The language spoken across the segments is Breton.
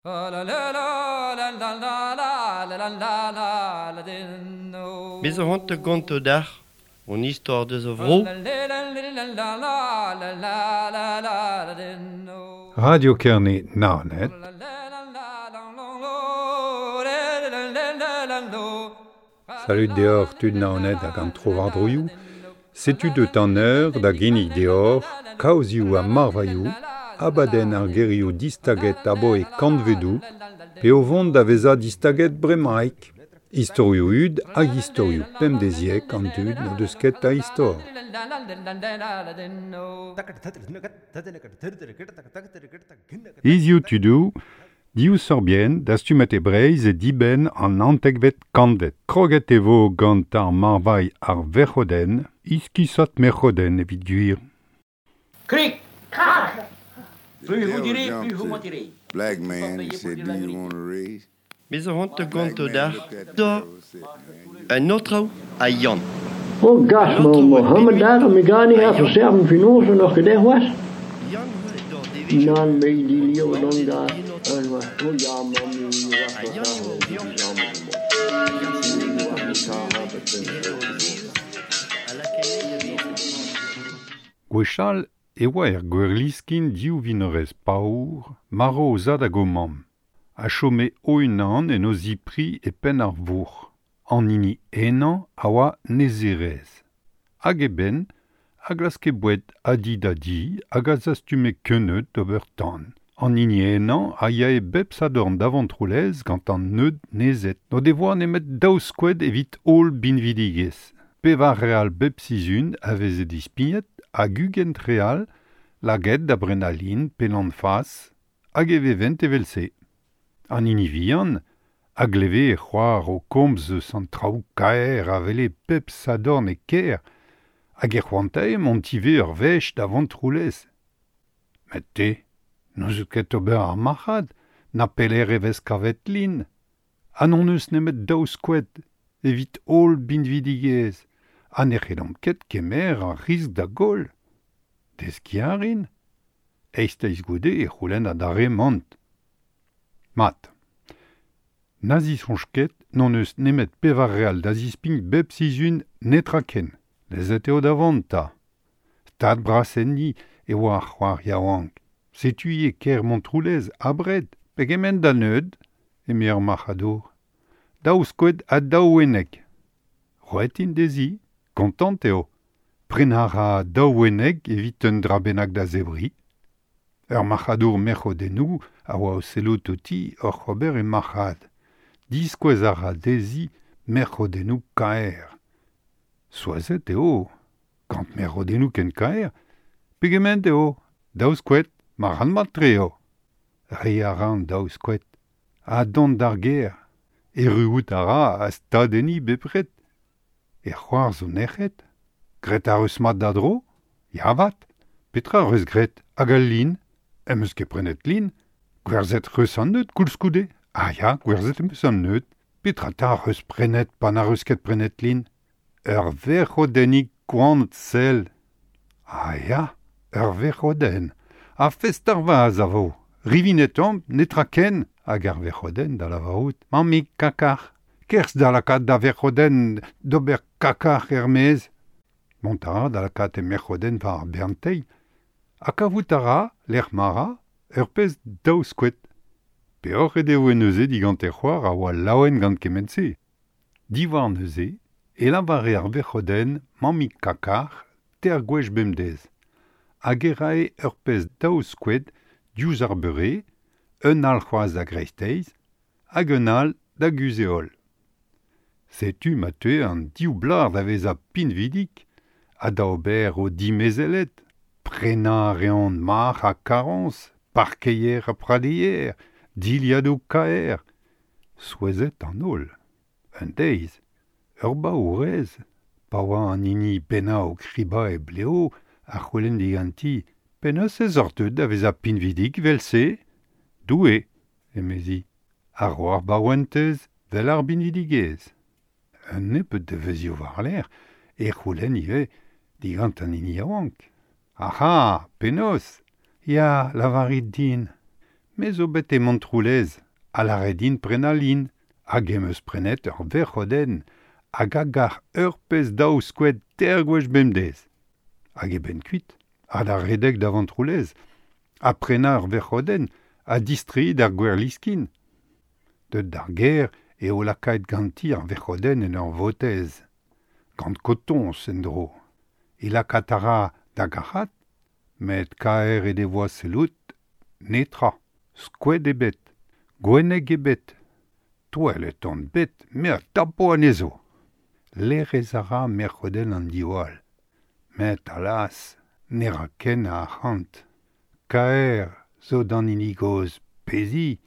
Bez zo c'hoant da gontañ deoc'h hon istor deus a vro. Radio Kerne Naoned. Salud deoc'h tud Naoned hag an trowardroioù. Setu deut an eur da ginnig deoc'h kaozioù ha marvailhoù, abadenn ar gerioù distaget aboe kantvedoù, pe o vont da vezañ distaget bremaik. Istorioù hud hag istorioù pemdeziek an dud n'o deus ket a istor. Hiziv tudoù, div sorbienn dastumet e Breizh e dibenn an naontekvet kantved. Kroget e vo gant ar marvailh ar verc'hodenn, iskisat merc'hodenn evit gwir. Krik, krak! The Plus vous devil direz, plus jumped vous to mentirez. black Faut pas man and payer pour said, dire Do la you vérité. want a raise? Bez zo c'hoant da Black gontañ man deoc'h looked at the da devil and said, Man, you un aotrou ha Yann. Oh gas, An aotrou ma oa Mohammed bet daar, mi gani ha ha Yann. verserven finoze nog gedeg was. Yann oa e dor devezhioù. Nan me di lio Mamm dan dezhañ da, en aotrou. en wa, oh ja, mam mi was Ha was Yann daar, e oa o die vihan. samen Hag ar senneg wa an mi aotrou ka heb het e hed o zez a lakae da vezañ. Gwechall e oa er gwerliskin div vinorez paour, marv o zad hag o mamm. A chome o-unan en o zipri e penn ar vourc'h. An hini henañ a oa nezerez. Hag eben, a glaske boued a di da di hag a zastume keuneud d'ober tan. An hini henañ a yae bep sadorn da Vontroulez gant an neud nezet. N'o devoa nemet daou skoed evit holl binvidigezh. Pevar real bep sizhun a veze dispignet hag ugent real lakaet da brenañ lin pe lann-fas hag e vevent evel-se. An hini vihan a gleve e c'hoar o komz eus an traoù kaer a wele pep sadorn e kêr hag e c'hoantae mont ivez ur wech da Vontroulez. Met te, n'ouzout ket ober ar marc'had, na pelec'h e vez kavet lin. Ha n'hon eus nemet daou skoed evit holl binvidigezh, ha ne c'hellomp ket kemer ar risk da goll. Deskiñ a rin. Eizhteiz goude e c'houlenn adarre mont. Mat. Na zisoñj ket n'hon eus nemet pevar real da zispign bep sizhun netra ken. Lezet eo da vont 'ta. Stad bras enni e oa ar c'hoar yaouank. Setu e kêr Montroulez abred, pegement da neud, eme ar marc'hadour. Daou skoed ha daou wenneg. Roet int dezhi, kontant eo. Prenañ a ra daou wenneg evit un dra bennak da zebriñ. Ur marc'hadour merc'hodennoù a oa o sellout outi oc'h ober e marc'had. Diskouez a ra dezhi merc'hodennoù kaer. Souezhet eo, gant merc'hodennoù ken kaer, pegement eo, daou skoed, marc'had mat-tre eo. Reiñ a ra an daou skoed. Ha dont d'ar gêr. Erruout a ra ha stad enni bepred. E c'hoar zo nec'het. Graet ar eus mat da dro? Ya 'vat. Petra ar eus graet? Hag al lin? Em eus ket prenet lin. Gwerzhet eus an neud koulskoude. Ah ya, gwerzhet em eus an neud. Petra 'ta ar eus prenet pa n'ar eus ket prenet lin? Ur verc'hodennig koant sell. Ah ya, ur verc'hodenn. Ha fest ar vaz a vo. Rivinet omp, netra ken, hag ar verc'hodenn da lavarout. Mammig kakar. Kerzh da lakaat da verc'hodenn d'ober kakar er-maez. Mont a ra da lakaat e merc'hodenn war ar bern teil. Ha kavout a ra, lec'h ma ra, ur pezh daou skoed. Peoc'h e devoe neuze digant e c'hoar a oa laouen gant kement-se. Diwar neuze, e lavare ar verc'hodenn mammig kakar teir gwech bemdez. Hag e rae ur pezh daou skoed diouzh ar beure, un all c'hoazh da greisteiz, hag un all da guzh-heol. Setu ma teue an div blac'h da vezañ pinvidik ha da ober o dimezelet. Prenañ a reont marc'h ha karroñs, parkeier ha pradeier, dilhadoù kaer. Souezhet an holl. Un deiz, ur baourez, pa oa an hini pennañ o kribañ e bleo a c'houlenn diganti penaos ez oc'h deuet da vezañ pinvidik evel-se? Doue, emezi, ar ro ar baouentez vel ar binvidigezh. Un nebeud devezhioù war-lerc'h e c'houlenn ivez digant an hini yaouank. Aha, penaos? Ya, lavarit din. Me zo bet e Montroulez, ha lâret din prenañ lin, hag em eus prenet ur verc'hodenn, hag a gar ur pezh daou skoed teir gwech bemdez. Hag eben kuit, ha da redek da Vontroulez, ha prenañ ur verc'hodenn, ha distreiñ d'ar Gwerliskin. Deut d'ar gêr eo lakaet ganti ar verc'hodenn en ur votez, gant kotoñs en-dro. E lakaat a ra da gac'hat, met kaer he devoa sellout, netra, skoed ebet, gwenneg ebet. Touellet on bet, me a tapo anezho. Lerez a ra merc'hodenn an diwall. Met alas, ne ra ken a arc'hant. Kaer zo d'an hini gozh pezi,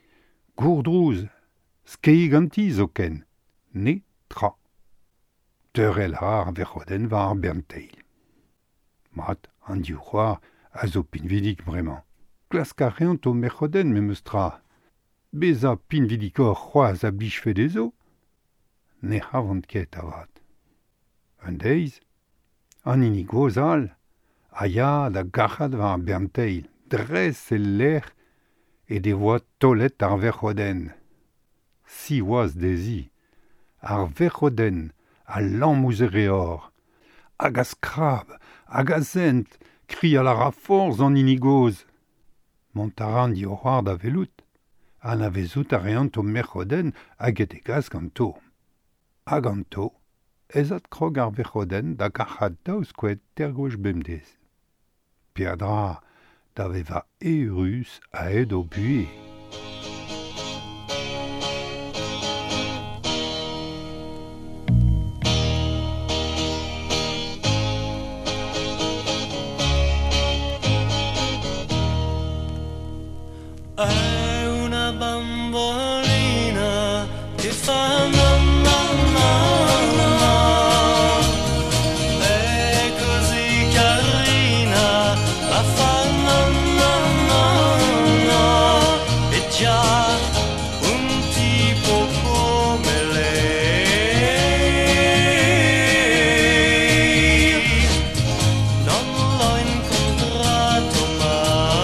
gourdrouz, skeiñ ganti zoken. Netra. Teurel a ra ar verc'hodenn war ar bern teil. Mat, an div c'hoar a zo pinvidik bremañ. Klask a reont o merc'hodenn memes tra. Bezañ pinvidikoc'h c'hoazh a blijfe dezho. Ne c'havont ket avat. Un deiz, an hini gozh all a ya da gac'hat war ar bern teil, dres el lec'h he devoa taolet ar verc'hodenn. Siwazh dezhi, ar verc'hodenn a lamm ouzh e reor, hag a skrab, hag a sent, krial a ra forzh an hini gozh. Mont a ra an div c'hoar da welout, anavezout a reont o merc'hodenn hag he degas ganto. Ha ganto ez adkrog ar verc'hodenn da gac'hat daou skoed teir gwech bemdez. Peadra da vevañ eürus a-hed o buhez. È una bambolina che fa mamma mamma, è così carina, ma fa mamma mamma, e già un tipo come lei non l'ho incontrato mai.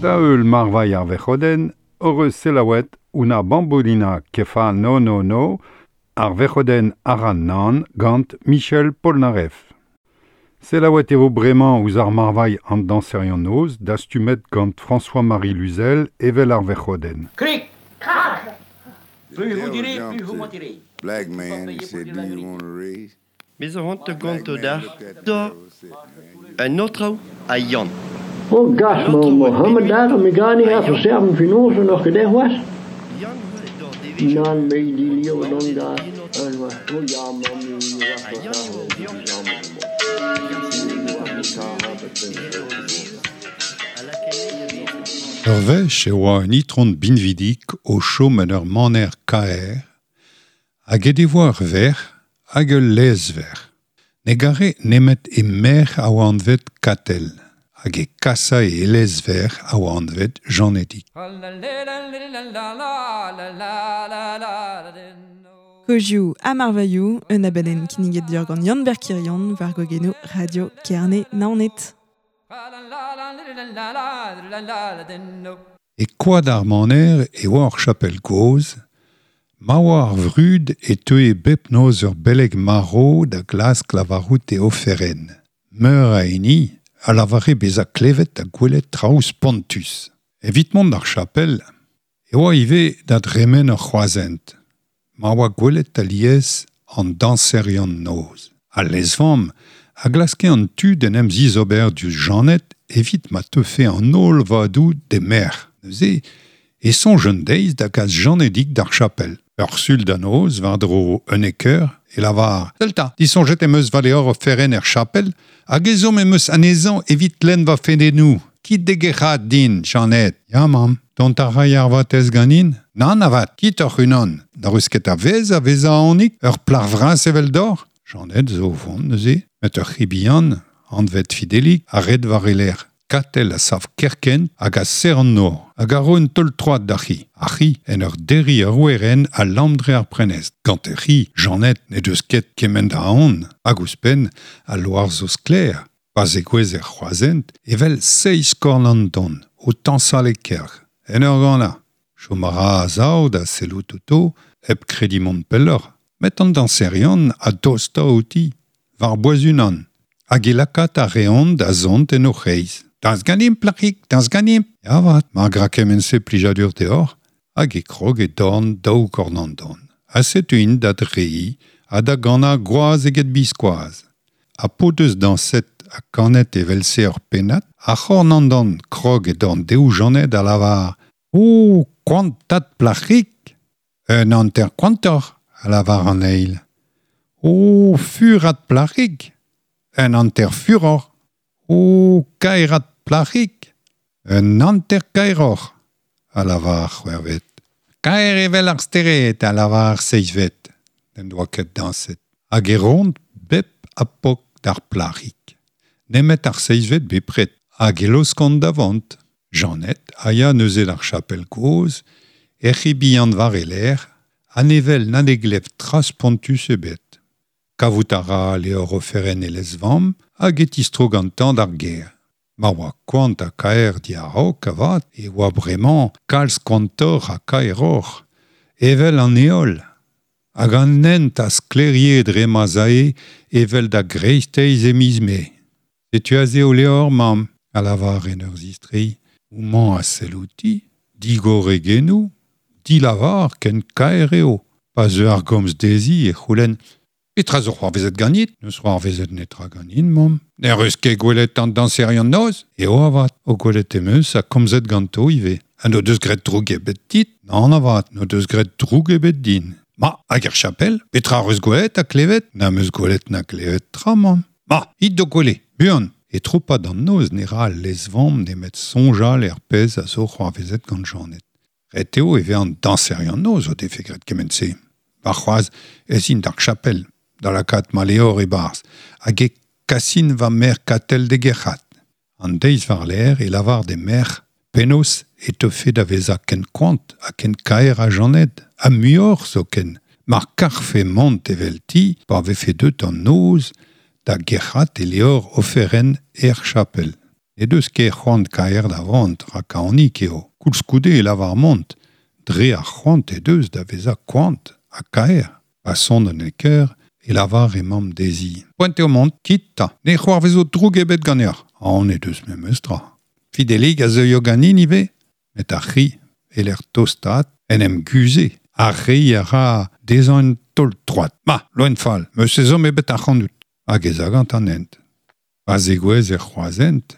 Da eul marvailh ar verc'hodenn, hor eus selaouet una bambolina kefa no no no ar verc'hodenn ar nan gant Michel Polnareff. Selaouet e vo bremañ ouzh ar marvailh an dañserion noz dastumet gant François-Marie Luzel evel ar verc'hodenn. Krik, krak! Plus vous direz, plus vous mentirez. Black man, he said, do you want a raise? Bez a hont gant dar da un autre a Yann. Oh, gas, ma Mohammed daar, me ga niet even serven finoze nog gedaan was. Nan, me die leo dan daar. Oh ja, man, Ur wech e oa un itron binvidik o chom en ur maner kaer, hag e devoa ur verc'h hag ul lezverc'h. Ne gare nemet e merc'h a oa anvet Katell, hag e kasa e lezverc'h a oa anvet Jeannetig. Kozioù ha marvailhoù, un abadenn kinniget deoc'h gant Yann Berkirion war gogenoù Radio Kerne Naoned. E koad ar maner e oa ur chapel gozh, ma oa ar vrud e teue bep noz ur beleg marv da glask lavarout e oferenn. Meur a hini a lavare bezañ klevet ha gwelet traoù spontus. Evit mont d'ar chapel, e oa ivez da dremen ur c'hroazhent. Ma oa gwelet alies an dañserion noz. Al lezvamm a glaske an tu d'en em zizober diouzh Jeannette evit ma teufe an holl vadoù d'he merc'h. Neuze e soñj un deiz da gas Jeannedig d'ar chapel. Ur sul da noz war-dro unnek eur e lavar Delta, disoñjet em eus va levr oferenn er chapel hag ezhomm em eus anezhañ evit lenn va fedennoù. Kit degerc'hat din, Jeannette. Ya, mamm, dont a ray ar vatez ganin? Nann avat, kit oc'h unan. N'ar eus ket a vez a vezañ aonik, ur plac'h vras evel d'or. Jeannette zo o vont neuze, met ur c'hi bihan, anvet Fidelik, a red war e lerc'h. Katell a sav kerkent hag a serr an nor, hag a ro un taol troad d'ar c'hi. Ar c'hi, en ur derriñ ur werenn a lamm dre ar prenestr. Gant ur c'hi, Jeannette ne deus ket kement a aon, hag ouzhpenn al loar zo sklaer. Pa zegouezh er c'hroazhent, evel seizh korn an don, o tañsal e kelc'h. En ur ganañ. Chom a ra a-sav da sellout outo, hep krediñ mont pelloc'h. Met an dañserion a dosta outi, war bouez unan. Hag e lakaat a reont da zont en o c'hreiz. Dañs ganimp, plac'hig, dañs ganimp. Ya vat, mar gra kement-se plijadur deoc'h, hag e krog e dorn daou korn an don. Ha setu int da dreiñ ha da ganañ gwazh eget biskoazh. Ha p'o deus dañset ha kanet evel-se ur pennad, ar c'horn an don krog e dorn dehoù Jeannette a lavar O, koantat plac'hig! Un hanter koantoc'h, a lavar an eil. O, furat plac'hig! Un hanter furoc'h. O, kaerat plac'hig! Un hanter kaeroc'h, a lavar ar c'hwec'hvet. Kaer evel ar stered, a lavar ar seizhvet. N'en doa ket dañset. Hag e roont bep ha pok d'ar plac'hig. Nemet ar seizhvet bepred, hag e laoskont da vont. Jeannette a ya neuze d'ar chapel kozh, er c'hi bihan war e lerc'h, ha ne wel na ne glev tra spontus ebet. Kavout a ra levr oferenn e lezvamm hag e tistro gantañ d'ar gêr. Ma oa koant ha kaer diaraok avat e oa bremañ kalz koantoc'h ha kaeroc'h, evel an heol. Hag an hent a sklaerie dre ma 'z ae evel da greisteiz e miz Mae. Setu aze ho levr, mamm, a lavar en ur zistreiñ. Houmañ a sell outi, digor e genoù, dilavar ken kaer eo. Pa zeu ar gomz dezhi e c'houlenn Petra zo c'hoarvezet ganit? N'eus c'hoarvezet netra ganin, mamm. N'er eus ket gwelet an dañserion noz? Eo avat, o gwelet em eus ha komzet ganto ivez. Ha n'o deus graet droug ebet dit? Nann avat, n'o deus graet droug ebet din. Ma, hag er chapel, petra eus gwelet ha klevet? N'am eus gwelet na klevet tra, mamm. Ma, it d'ho kwele, buan! E tro-pad an noz ne ra al lezvamm nemet soñjal er pezh a zo c'hoarvezet gant Jeannette. Ret eo e vez an dañserion noz o defe graet kement-se. Warc'hoazh ez int d'ar chapel, da lakaat ma levr e-barzh, hag e kasin va merc'h Katell d'e gerc'hat. An deiz war-lerc'h e lavar d'he merc'h penaos e teufe da vezañ ken koant ha ken kaer ha Jeannette, ha muioc'h zoken, mar karfe mont evelti pa vefe deut an noz da gerc'hat e levr oferenn er chapel. E deus ket c'hoant kaer da vont, rak aonik eo. Koulskoude e lavar mont, dre ar c'hoant e deus da vezañ koant ha kaer. Pa son an eker, e lavar e mamm dezhi. Poent eo mont, kit 'ta, ne c'hoarvezo droug ebet ganeoc'h. Aon he deus memes tra. Fidelig a zeuio ganin ivez, met ar c'hi, e-lec'h tostaat, en em guzhe. Ar reiñ a ra dezhañ un taol troad. Ma, loen fall, 'meus ezhomm ebet ac'hanout. Hag ez a gant an hent. Pa zegouezh er c'hroazhent,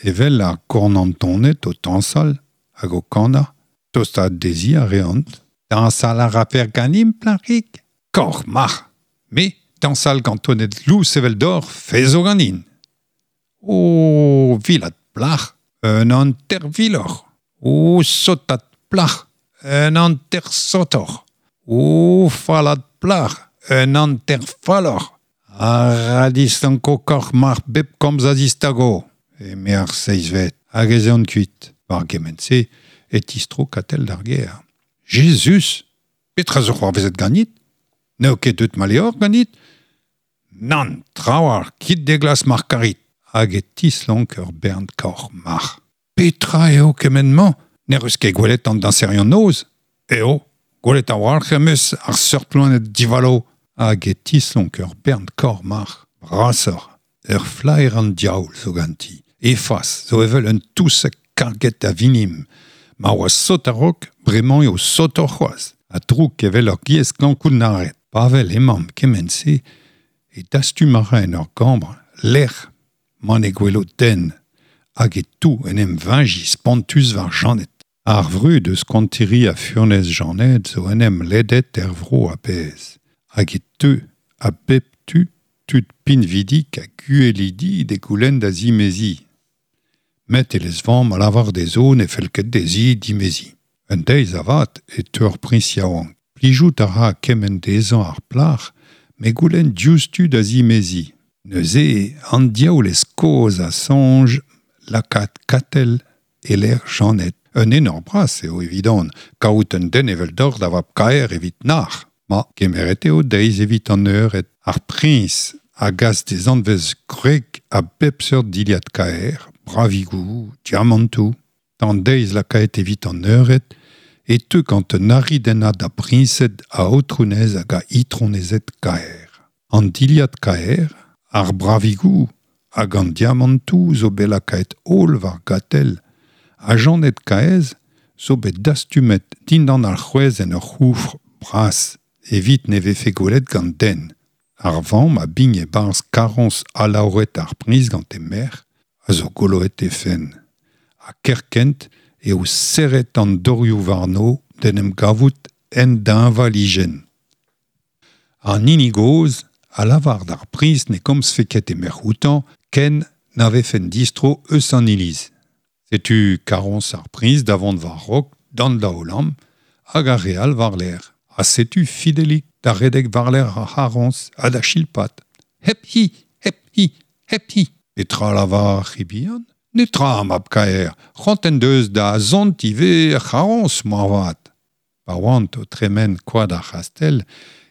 evel ar gornandoned o tañsal hag o kanañ, tostaat dezhi a reont. Dañsal a rafer ganimp, plac'hig ? Kaoc'h marc'h ! Me, dañsal gant toned lous eveldoc'h, fez zo ganin. O vilat plac'h, un hanter viloc'h. O sotat plac'h, un hanter sotoc'h. O fallat plac'h, un hanter falloc'h. Ha ra distanko kaoc'h marc'h bep komz a zistago, eme ar seizhvet, hag ez eont kuit. War gement-se e tistro Katell d'ar gêr. Jezuz ! Petra zo c'hoarvezet ganit ? N'eo ket deut ma levr ganit ? Nann, trawalc'h, kit d'e glask mar karit. Hag e tislonk ur bern kaoc'h marc'h. Petra eo kement-mañ ? N'ec'h eus ket gwelet an dañserion-noz ? Eo, gwelet a-walc'h em eus ar seurt loened divalo. Hag e tislonk ur bern kaoc'h marc'h, brasoc'h. Ur flaer an diaoul zo ganti. He fas zo evel un touseg karget a vinim. Ma oa sot a-raok, bremañ eo sotoc'h c'hoazh. Ha drouk evel ur giez klañv-kounnaret. Pa wel emañ kement-se e dastum a ra en ur gambr lec'h ma ne gwelo den hag e tou en em veñjiñ spontus war Janed. Ar vrud eus koantiri ha furnez Janed zo en em ledet er vro a-bezh hag e teu a bep tu tud pinvidik hag uhelidi d'he goulenn da zimeziñ. Met e lez-vamm a lavar dezho ne fell ket dezhi dimeziñ. Un deiz avat e teu ur priñs yaouank. Plijout a ra kement dezhañ ar plac'h met goulenn diouzhtu da zimeziñ. Neuze an diaoulez kozh a soñj lakaat Katell e-lec'h Janed. Un enor bras eo evidon kaout un den eveldoc'h da vab-kaer evit nac'h. Ma, kemeret eo deiz evit an eured. Ar priñs a gas d'e zanvez gwreg a bep seurt dilhad kaer, bravigoù, diamantoù. D'an deiz lakaet evit an eured e teu gant un aridennad a briñsed a aotrounez hag a itronezed kaer. An dilhad kaer, ar bravigoù hag an diamantoù zo bet lakaet holl war Gatell ha Janed Kaezh zo bet dastumet dindan ar c'hwezh en ur c'houfr bras evit ne vefe gwelet gant den. Ar vamm a bign e-barzh karroñs alaouret ar priñs gant he merc'h a zo goloet he fenn. Ha kerkent eo serret an dorioù warno d'en em gavout en deñvalijenn. An hini gozh a lavar d'ar priñs ne gomzfe ket e merc'h outañ ken na vefen distro eus an iliz. Setu karroñs ar priñs da vont war-raok d'an daol-lamm hag ar re all war-lerc'h. Ha setu Fidelig da redek war-lerc'h ar c'harroñs ha da chilpat. Hep hi! Hep hi! Hep hi! Petra lavar ar c'hi bihan ? Netra, mab-kaer, c'hoant en deus da zont ivez er c'harroñs, moarvat. Pa oant o tremen koad ar c'hastell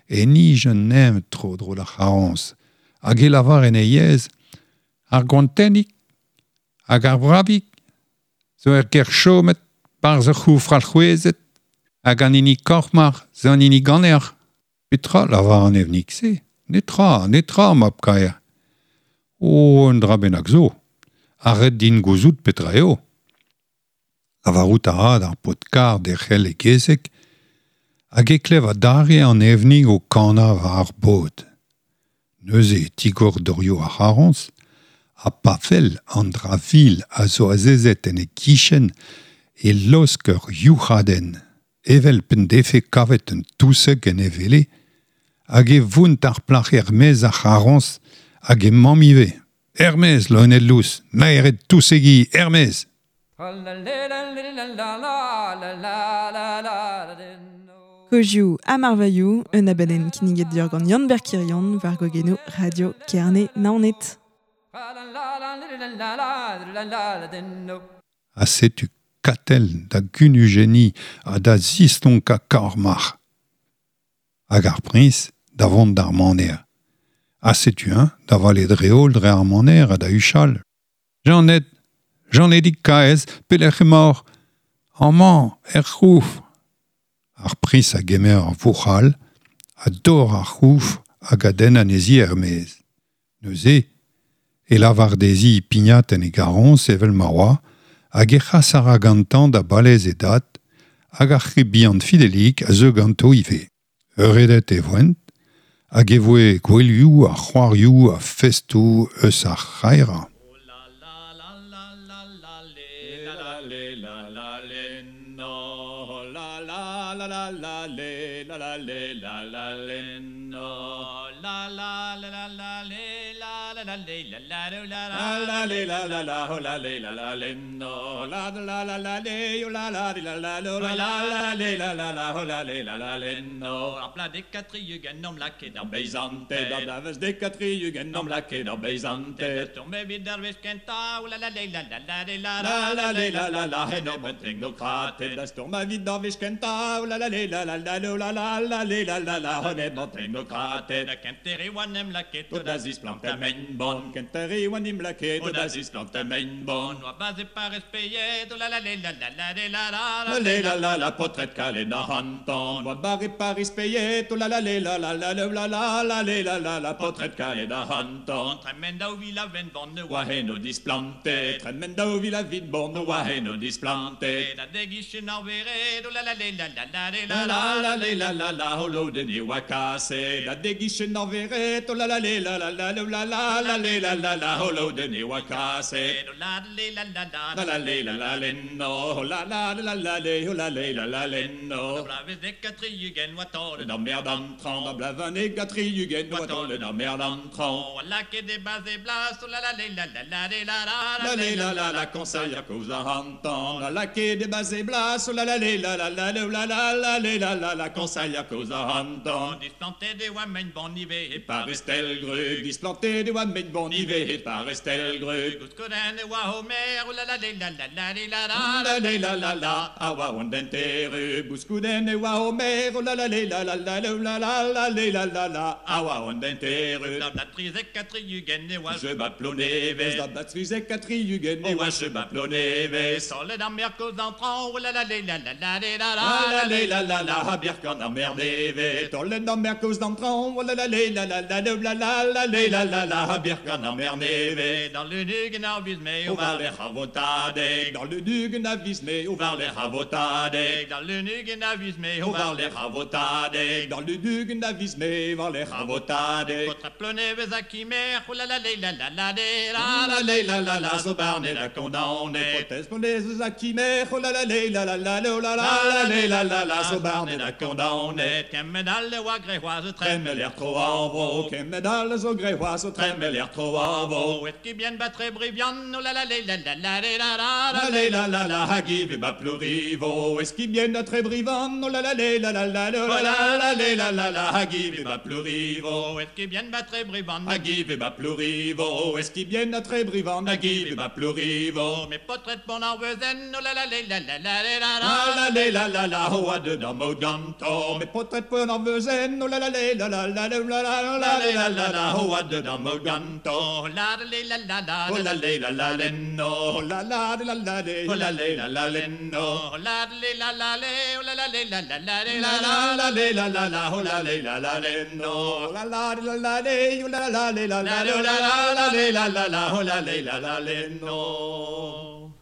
e nij un neñv tro-dro d'ar c'harroñs hag e lavar en e yezh ar goantennig hag ar bravig zo er gêr chomet 'barzh ur c'houfr alc'hwezet hag an hini kaoc'h-marc'h zo an hini ganeoc'h. Petra lavar an evnig-se ? Netra, netra, mab-kaer. O, un dra bennak zo. Ha ret din gouzout petra eo. Lavarout a ra d'ar paotr-karr derc'hel e gezeg hag e klev adarre an evnig o kanañ war ar bod. Neuze e tigor dorioù ar c'harroñs ha pa wel an dra vil a zo azezet en e gichen e laosk ur youc'hadenn, evel p'en defe kavet un touseg en e wele, hag e vount ar plac'h er-maez ar c'harroñs hag he mamm ivez. Er-maez, loened lous, naered tousegi, er-maez ! Kozioù ha marvailhoù, un abadenn kinniget deoc'h gant Yann-Ber Kirion war gogennoù Radio Kerne Naoned. Ha setu Katell da gunujenniñ ha da zistonkañ kaoc'h-marc'h. Hag ar priñs da vont d'ar maner. Ha setu-eñ da vale dre-holl dre ar maner ha da huchal. Janed, Janedig kaez, pelec'h emaoc'h? Amañ, er c'houf. Ar priñs a gemer ar vouc'hal, a dor ar c'houf hag a denn anezhi er-maez. Neuze, e lavar dezhi pignat en e garroñs evel ma oa, hag e c'has a ra gantañ da balez e dad, hag ar c'hi bihan Fidelik a zeu ganto ivez. Euredet e voent, hag e voe gouelioù ha c'hoarioù ha festoù eus ar c'haerañ.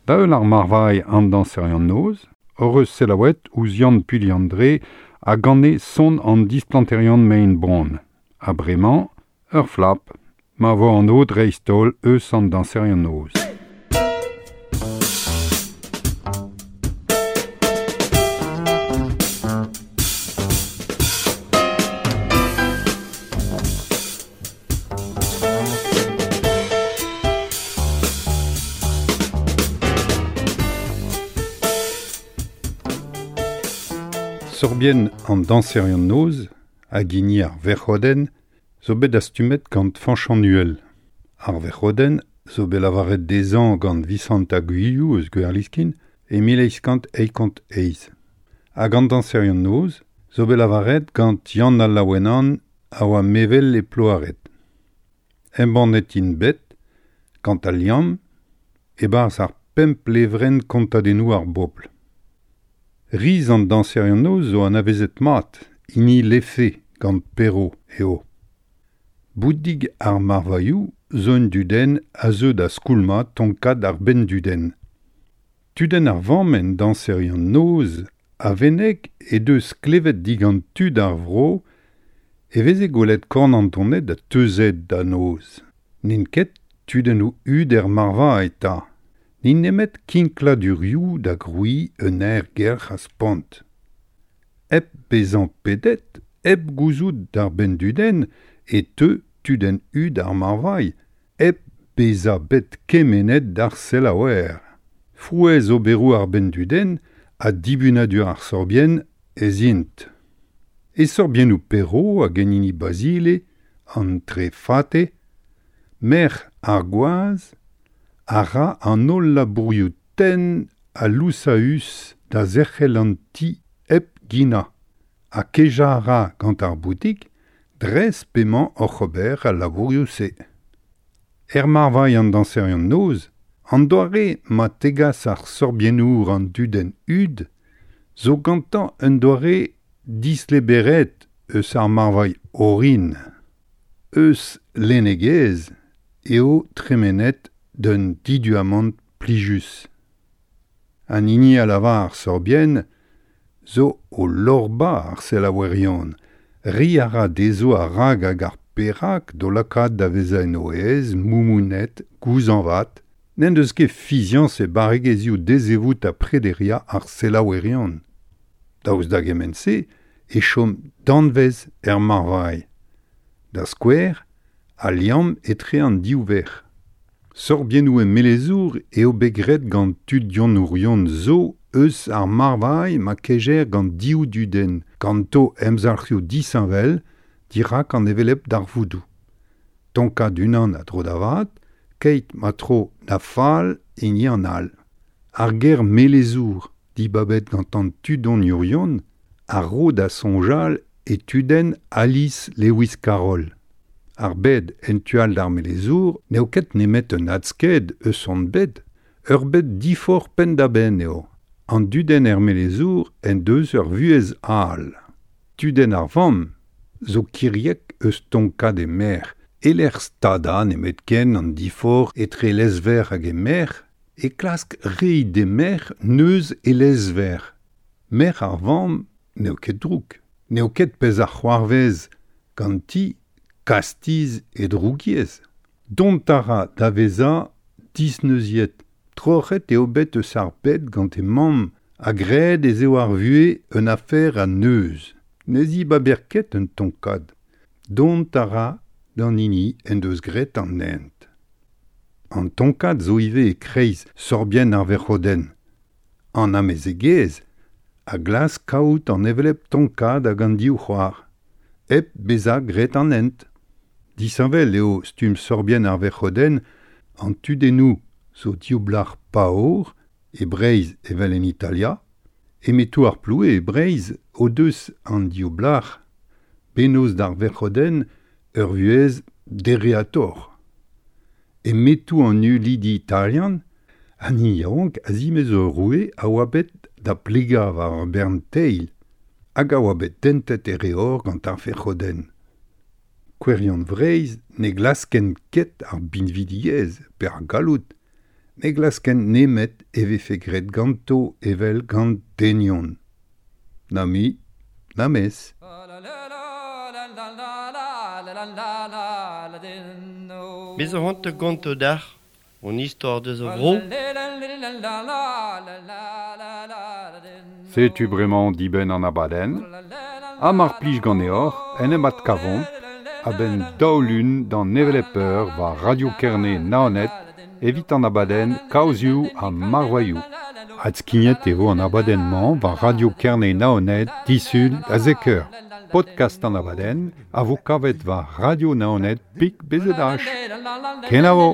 Da heul ar marvailh an dañserion noz, hor eus selaouet ouzh Yann Puilhandre a gane son an displanterion mein bron. Ha bremañ, ur flap, ma vo an o dreist-holl eus an dañserion noz. Sorbien an dañserion noz hag hini ar verc'hodenn zo bet dastumet gant Fañch an Uhel. Ar verc'hodenn zo bet lavaret dezhañ gant Visant Aguilhoù eus Gwerliskin e 1888. Hag an dañserion noz zo bet lavaret gant Yann al Laouenan a oa mevel e Ploaret. Embannet int bet gant al liamm e-barzh ar pemp levrenn kontadennoù ar bobl. Riz an dañserion noz zo anavezet mat, hini Lefe gant Perrot eo. Boudig ar marvailhoù zo un dudenn a zeu da skoulmañ tonkad ar benndudenn. Tudenn ar vamm en dañserion noz a veneg he deus klevet digant tud ar vro e veze gwelet kornantoned ha teuzed da noz. N'int ket tudennoù hud er marvailh eta. N'int nemet kinkladurioù da grouiñ un aergelc'h a spont. Hep bezañ pedet, hep gouzout d'ar benndudenn e teu tudenn hud ar marvailh, hep bezañ bet kemennet d'ar selaouer. Frouezh oberoù ar benndudenn ha dibunadur ar sorbienn ez int. E sorbiennoù Perrot hag en hini Basile, an Trefate, merc'h ar gwaz a ra an holl labourioù tenn ha lousaüs da zerc'hel an ti hep ginañ ha kejañ a ra gant ar boutik dres p'emañ oc'h ober al labourioù-se. Er marvailh an dañserion noz, an doare ma tegas ar sorbiennour an dudenn hud zo gantañ un doare disleberet eus ar marvailh orin. Eus lennegezh eo tremenet d'un diduamant plijus. An hini a lavar ar sorbienn zo o lorbañ ar selaouerion. Reiñ a ra dezho ar rag hag ar perak d'o lakaat da vezañ en o aez, moumounet, gouzañvat. N'en deus ket fiziañs e barregezhioù dezevout ha prederiañ ar selaouerion. Daoust da gement-se e chom danvez er marvailh. Da skouer, al liamm etre an div verc'h. Sorbiennoù e melezour eo bet graet gant tudionourion zo eus ar marvailh ma kejer gant div dudenn, ganto emzalc'hioù disheñvel dirak an hevelep darvoudoù. Tonkad unan a dro da vat, keit ma tro da fall hini an all. Ar ger melezour, dibabet gant an tudoniourion, a ro da soñjal e tudenn Alice Lewis Carroll. Ar bed en tu all d'ar melezour n'eo ket nemet un adsked eus hon bed, ur bed diforc'h penn-da-benn eo. An dudenn er melezour en deus ur vuhez all. Tudenn ar vamm zo kiriek eus tonkad e merc'h. E-lec'h stadañ nemetken an diforc'h etre lezverc'h hag e merc'h, e klask reiñ d'he merc'h neuz e lezverc'h. Merc'h ar vamm n'eo ket drouk. N'eo ket pezh a c'hoarvez ganti kastiz e drougiezh. Dont a ra da vezañ disneuziet. Troc'het eo bet eus ar bed gant he mamm ha graet ez eo ar vuhez un afer a neuz. Ne zibaber ket un tonkad. Dont a ra d'an hini en deus graet an hent. An tonkad zo ivez e-kreiz sorbienn ar verc'hodenn. An amezegez a glask kaout an hevelep tonkad hag an div c'hoar, hep bezañ graet an hent. Disheñvel eo stumm sorbienn ar verc'hodenn, an tudennoù zo div blac'h paour, e Breizh evel en Italia, e metoù ar ploue e Breizh o deus an div blac'h bennozh d'ar verc'hodenn ur vuhez dereatoc'h. E metoù an ulidi italian, an hini yaouank a zimez ur roue a oa bet da plegañ war ur bern teil hag a oa bet tentet e reor gant ar verc'hodenn. Kouerion Vreizh ne glaskent ket ar binvidigezh pe ar galloud, ne glaskent nemet e vefe graet ganto evel gant denion. Na mui, na mes. Bez zo c'hoant da gontañ deoc'h hon istor deus ar vro. Setu bremañ dibenn an abadenn. Ha mar plij ganeoc'h en em adkavomp a-benn daou lun d'an hevelep eur war Radio Kerne Naoned evit an abadenn Kaozioù ha Marvailhoù. Adskignet e vo an abadenn-mañ war Radio Kerne Naoned disul da zek eur. Podcast an abadenn a vo kavet war Radio Naoned pik BZH. Kenavo!